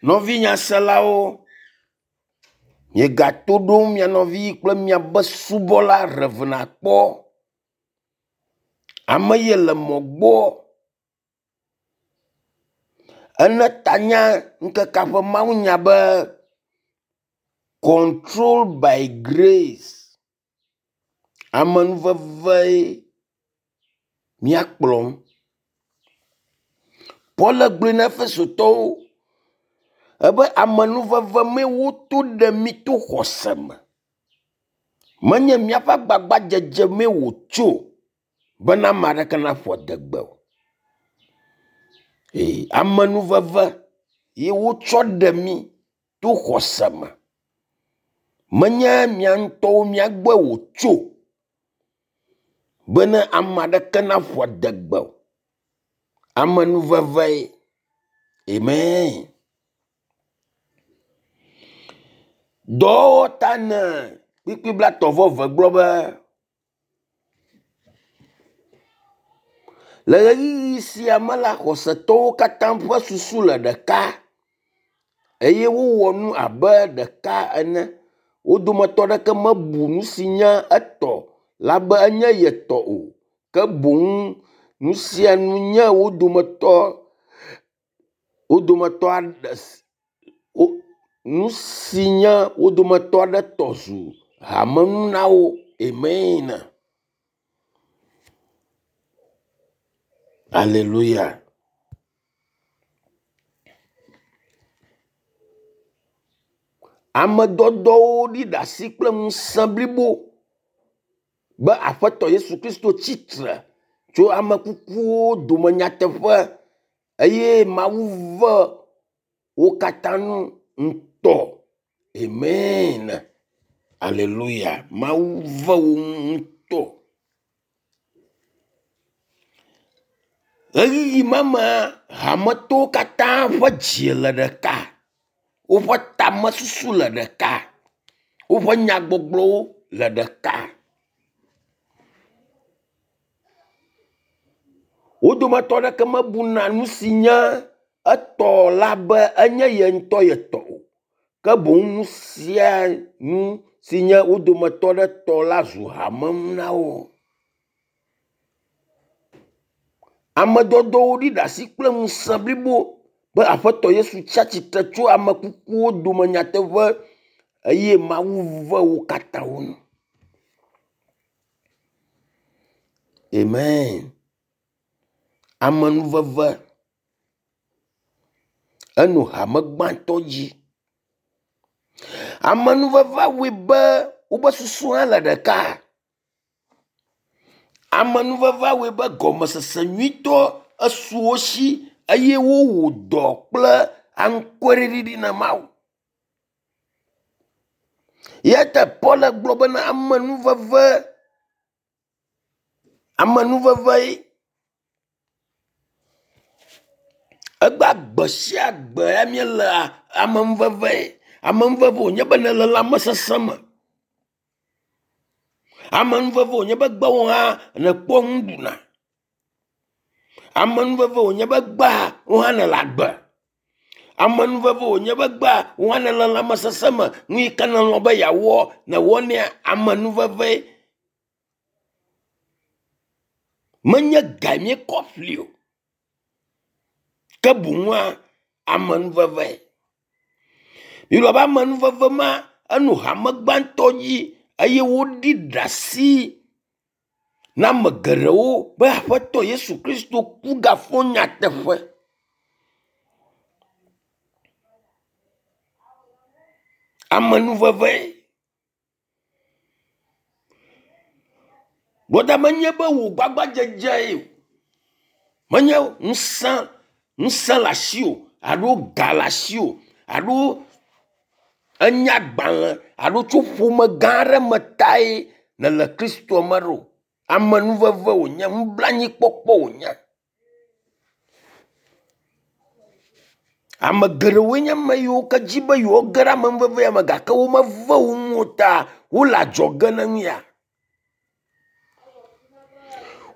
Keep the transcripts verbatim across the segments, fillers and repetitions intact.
Nɔvinyaselawo, miegato ɖom mia nɔvi kple miabe subɔla Rev. Akpɔ. Ame ye le mɔ gbɔ ene tanya ŋkekea ƒe mawunya be “Control by grace”. Amenuvevee míakplɔm. Paul gblɔe na Efesotɔwo ebe amenuveve mee woto ɖe mí to xɔse me. Menye míaƒe agbagbadzedze mee wòtso bena ame aɖeke naƒo adegbe o. Ee amenuveve ye wotsɔ ɖe mí to xɔse me. Menye mía ŋutɔwo mía gbɔe wòtso bene ame aɖeke naƒo adegbe o. Amenuvevee. Amen. Dɔwɔwɔ ta ne kpukpui blaetɔ̃ vɔ eve gblɔ be le ɣeyiɣi sia me la, xɔsetɔwo katã ƒe susu le ɖeka eye wowɔ nu abe ɖeka ene. Wo dometɔ aɖeke mebu nu si nye etɔ la be enye yetɔ o ke boŋ nu sia nu nye wo dometɔ wo dometɔ aɖe wo nu si nye wo dometɔ aɖe tɔ zu hamenu na wo. Amen. Aleluya. Ame dɔdɔwo ɖi ɖasi kple ŋusẽ blibo be Aƒetɔ Yesu Kristo tsitre tso ame kukuwo dome nyateƒe eye Mawu ve wo katã nu ŋutɔ. Amen. Aleluya. Mawu ve wo ŋutɔ. Ɣeyiɣi ma mea, hametɔwo katã ƒe dzi le ɖeka. Woƒe tamesusu le ɖeka. Woƒe nyagbɔgblɔwo le ɖeka. Wo dometɔ aɖeke mebuna nu si nye etɔ la be enye ye ŋutɔ yetɔ o. Ke boŋ nu sia nu si nye wo dometɔ ɖe tɔ la zu hamenu na wo. Ame dɔdɔwo ɖi ɖasi kple ŋusẽ blibo be Aƒetɔ Yesu tsi atsitre tso ame kukuwo dome nyateƒe eye Mawu ve wo katã wo nu. Amen. Amenuveve eno hame gbãtɔ dzi. Amenuveve wɔe be wobe susu hã le ɖeka. Amenuveve wɔe be gɔmesese nyuitɔ esu wo si eye wowɔ dɔ kple anukwareɖiɖi na Mawu. Eya ta Paul gblɔ bena amenuveve amenuveve Egbea gbe sia gbe ya míele amenuveve. Amenuveve wònye be nèle lãmesesẽ me. Amenuveve wònye be gbewò hã nèkpɔ nu ɖuna. Amenuveve wònye be gbea wò hã nèle agbe. Amenuveve wònye be gbea wò hã nèle lãmesesẽ me. Nu yi ke nèlɔ̃ be yeawɔ nèwɔnɛa amenuveve. Menye gae míekɔ ƒli o. Ke boŋua amenuveve. Biblia be amenuveve ma eno hame gbãtɔ dzi eye woɖi ɖasi na ame geɖewo be Aƒetɔ Yesu Kristo ku gafɔ nyateƒe. Amenuveve. Gbɔda menye be wò gbagbadzedze o. Menye ŋusẽ ŋusẽ le asiwò alo ga le asiwò alo enya agbalẽ alo tso ƒome gã aɖe me tae nèle Kristoa me ɖo. Amenuveve wònye, nublanuikpɔkpɔ wònye. Ame geɖewoe nye ame yiwo ke dzi be yewoage ɖe amenuveve ya me gake womeve wo ŋu o ta wole adzɔge ne nu ya.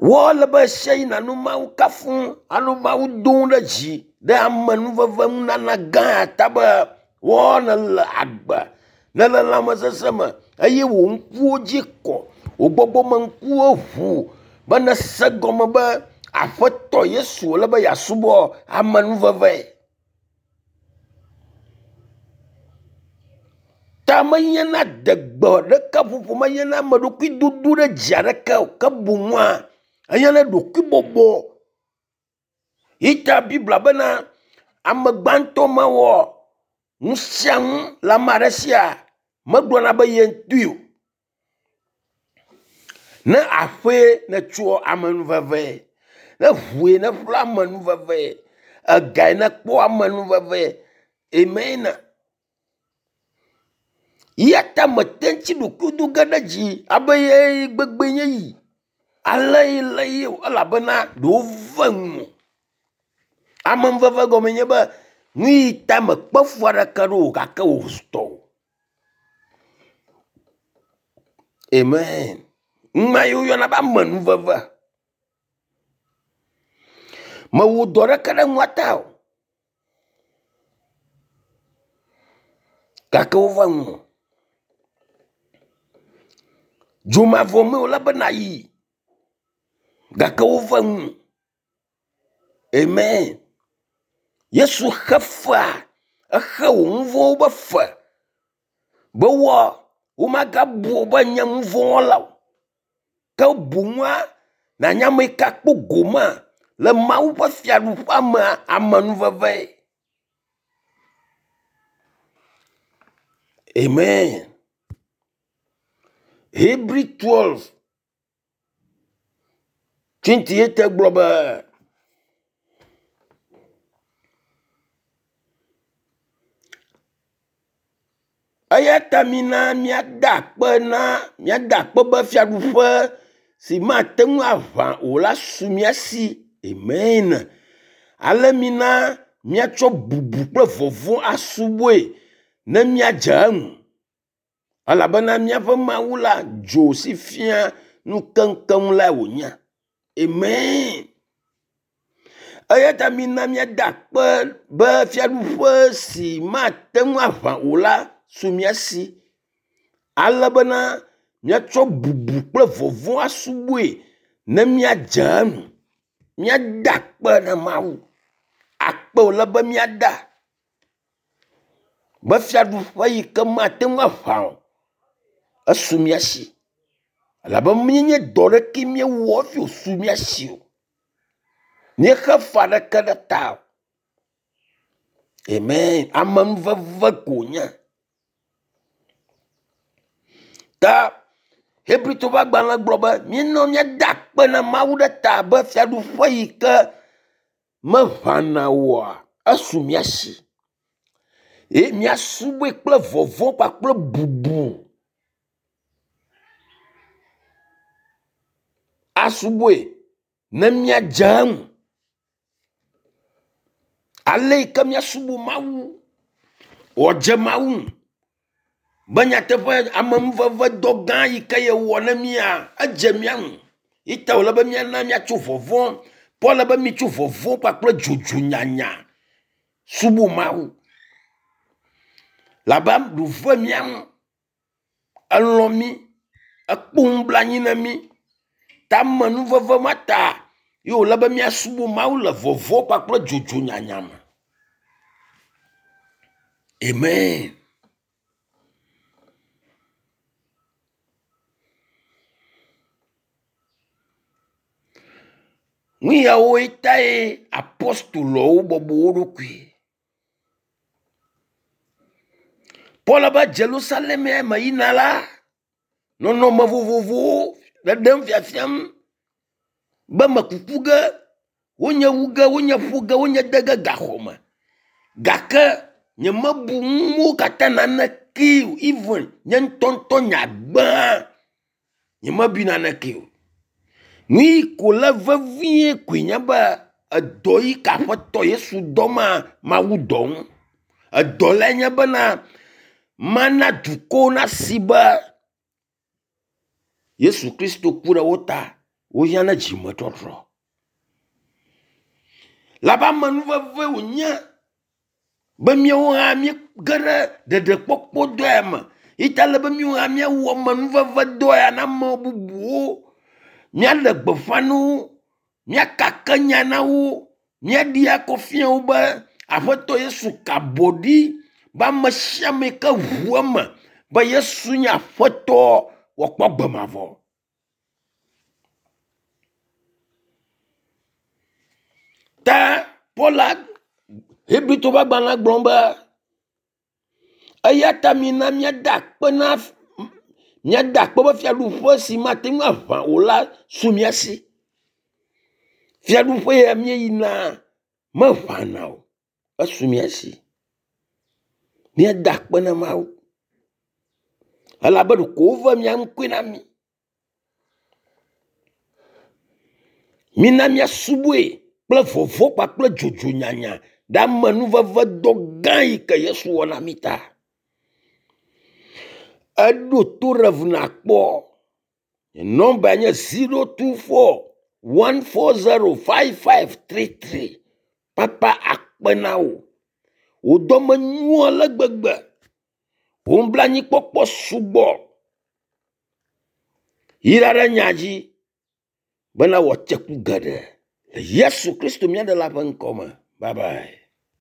Wole be ɣe sia ɣi nànɔ Mawu kafum anɔ Mawu dom ɖe dzi Ɖe amenuveve nunana gã ta be woa nele agbe, nele lãmesesẽ me eye wò ŋkuwo dzi kɔ, wò gbɔgbɔme ŋkuwo ʋu be nese gɔme be Aƒetɔ Yesu wòle be yeasubɔ amenuveve. Ta menye na degbe ɖeke ƒoƒo, menye na ame ɖokui dodo ɖe dzi aɖeke o, ke boŋua enye na ɖokuibɔbɔ. Yi ta Biblia bena ame gbãtɔ mewɔ nu sia nu le ame aɖe sia megblɔna be ye ŋutɔe o. Ne aƒee nètsoa amenuveve, ne ʋue neƒle amenuveve, egae nekpɔ amenuveve. Amen. Ya ta mete ŋuti ɖokui do ge ɖe dzi abe ye gbegbe nye yi. Ale yi le ye o elabena ɖewo ve ŋu. Amenuveve gɔme nye be nu yi ta mekpe fu aɖeke ɖo o gake wò tɔ o. Amen. Numa yi woyɔna be amenuveve. Mewɔ dɔ ɖeke ɖe nua ta o. Gake wova ŋu. Dzomavɔ me wòle be nayi. Gake wova ŋu. Amen. Yesu xe fea, exe wò nu vɔ̃wo be fe be wɔ womagabu wò be nye nu vɔ̃ wɔla o. Ke boŋua nanya ame yi ke akpɔ gome le Mawu ƒe fiaɖuƒea mea amenuveve. Amen. Hebrew twelve twenty eight gblɔ be eya ta mina míada akpe na míada akpe be fiaɖuƒe si mate ŋu aʋã o la su mía si. Amen. Ale mina míatsɔ bubu kple vɔvɔ̃ asubɔe ne míadze eŋu. Elabena míaƒe Mawu la dzo si fia nu keŋkeŋ lae wònye. Amen. Eya ta mina míada akpe be fiaɖuƒe si mate ŋu aʋã o la su mía si. Ale bena míatsɔ bubu kple vɔvɔ̃ asubɔe ne míadze eŋu. Míada akpe na Mawu. Akpe wòle be míada. Be fiaɖuƒe yi ke mate ŋu aʋã o, esu mía si. Elabe míenye dɔ ɖeke míewɔ hafi wòsu mía si o. Míexe fe aɖeke ɖe ta o. Amen. Amenuveve ko wònye. Ta Hebritɔwo ƒe agbalẽ gblɔ be míenɔ míada akpe na Mawu ɖe ta be fiaɖuƒe yi ke meʋãna oa, esu mía si. Eye míasubɔe kple vɔvɔ̃ kpakple bubu. Asubɔe ne míadze eŋu. Ale yi ke míasubɔ Mawu, wòadze Mawu ŋu. Be nyateƒe amenuveve dɔ gã yi ke yewɔ ne mía, edze mía ŋu. Yi ta wòle be míana míatso vɔvɔ̃. Paul be mitso vɔvɔ̃ kpakple dzodzo nyanya subɔ Mawu. Labe ɖu ve mía ŋu. Elɔ̃ mí, ekpɔ nublanui na mí. Ta amenuveve ma ta ye wòle be míasubɔ Mawu le vɔvɔ̃ kpakple dzodzo nyanya me. Amen. Nu yawoe tae apostolowo bɔbɔ wo ɖokui. Paul be Jerusalem me yina la, nɔnɔme vovovowo ɖeɖem fiafiam be mekuku ge, wonye wu ge, wonye ƒo ge, wonye de ge gaxɔ me. Gake nyemebu nuwo katã naneke o, even nye ŋutɔŋutɔ nye agbe hã nyemebui naneke o. Nu yi ko le vevie koe nye be edɔ yi ke Aƒetɔ Yesu dɔ ma, Mawu dɔ ŋu. Edɔ lae nye bena mana dukɔwo nasi be Yesu Kristo ku ɖe wo ta. Wohiã na dzimetɔtrɔ. Labe amenuveve wònye be míawo hã míege ɖe ɖeɖekpɔkpɔ dɔa me. Yi ta ele be míawo hã míawɔ amenuveve dɔ ya na ame bubuwo. Míaɖe gbeƒã na wo, míakake nya na wo, míaɖi akɔ fia wo be Aƒetɔ Yesu ka abɔ ɖi be ame sia ame yi ke ʋu eme be Yesu nye Aƒetɔ wòakpɔ agbe mavɔ. Ta Paul Hebritɔwo ƒe agbalẽ gblɔ be eya ta mina míada akpe na míada akpe be fiaɖuƒe si mate ŋu aʋã o la su mía si. Fiaɖuƒe ya míeyina meʋãna o, esu mía si. Míada akpe na Mawu elabe ɖeko wove mía ŋkɔe na mí. Mina míasubɔe kple vɔvɔ̃ kpakple dzodzo nyanya ɖe amenuveve dɔ gã yi ke Yesu wɔ na mí ta. Eɖo to ɖe ŋu nakpɔ. Nɔmba nye zero two four one four zero five five three three. Papa akpe na wò. Wò dɔme nyo ale gbegbe. Wò nublanuikpɔkpɔ sugbɔ. Yra ɖe nya dzi bena wòatse ku geɖe. Le Yesu Kristo mía Ɖela ƒe ŋkɔ me. Bye bye.